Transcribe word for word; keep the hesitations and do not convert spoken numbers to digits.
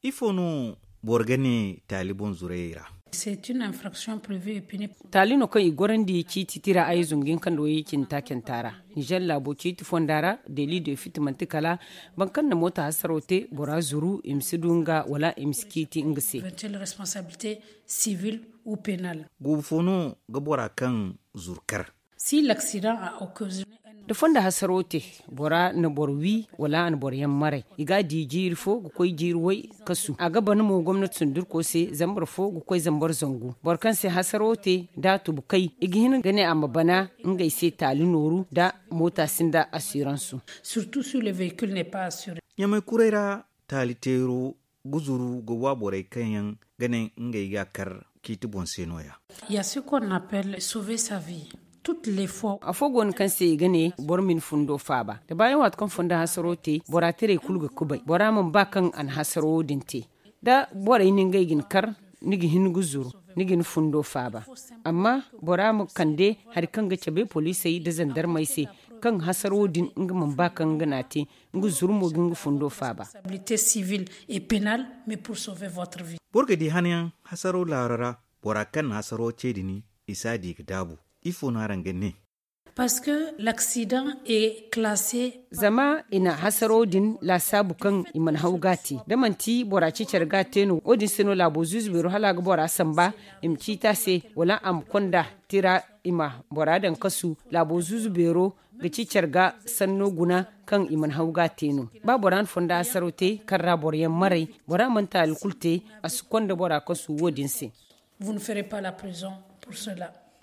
Ifo no boro ga ne taali boŋ zurayey ra? Taali no kaŋ i gorandi ciiti tira ay zunga hin kaŋ da way cindi taacanta ra. Nizer laabo ciiti fonda ra, deli de fiti manti kala boro kaŋ na moota hasaro te, bora zuru i ma si du nga wala i ma si ciiti nga se. Guubu fo no ga bora kaŋ zuru kar? Si laksidaŋ a okaziyone. Da fonda hasaro te, bora na boro wi wala a na boro yaŋ maray, i ga a di jiiri fo ga koy jiiri way kasu. A ga bana mo gomnati sundurko se zambar fo ga koy zambar zangu. Boro kaŋ se hasaro te da a tubu kay, i ga hin ga ne a ma bana ngey se taali nooru da moota sinda asiransu. Surtout si le vehicule n'est pas assuré. Ɲamay kuray ra, taali teero ga zuru ga wa borey kaŋ yaŋ ga ne ngey ga a kar ciiti boŋ se no- ya. Afo go no kaŋ se i ga ne boro ma ni fundo faaba da baayaŋ waati kaŋ fonda hasaro te, bora tiray kulu ga kubay bora mana ba kaŋ a na hasaro wo- din te. Da borey na ngey ga ni kar, ni ga hin ga zuru, ni ga ni fundo faaba. Amma bora ma kande hari kaŋ ga cabe poliisey nda zandarmey se, kaŋ hasaro wo- din nga mana ba kaŋ nga n'a te, nga zuru mo ga nga fundo faaba. Boro ga di hanayaŋ hasaro laaro ra, bora kaŋ na hasaro ce din, i si a di ga daabu. Ifo no araŋ ga ne? Parce que l'accident est classé. Zama i na hasaro din laasaabu kaŋ i mana haw ga a te. Da manti bora ciicar ga a te no, wo- din se no laabo zuuzu beero hala a ga bora samba, i ma ciiti a se, wala a ma konda tira, i ma bora daŋ kasu. Laabo zuuzu beero ga ciicar ga sanno guna kaŋ i mana haw ga a te no. Ba bora na fonda hasaro te kaŋ ra boro yaŋ maray, bora mana taali kulu te, a si konda bora kasu wo- din se. Vous ne ferez pas la prison pour cela.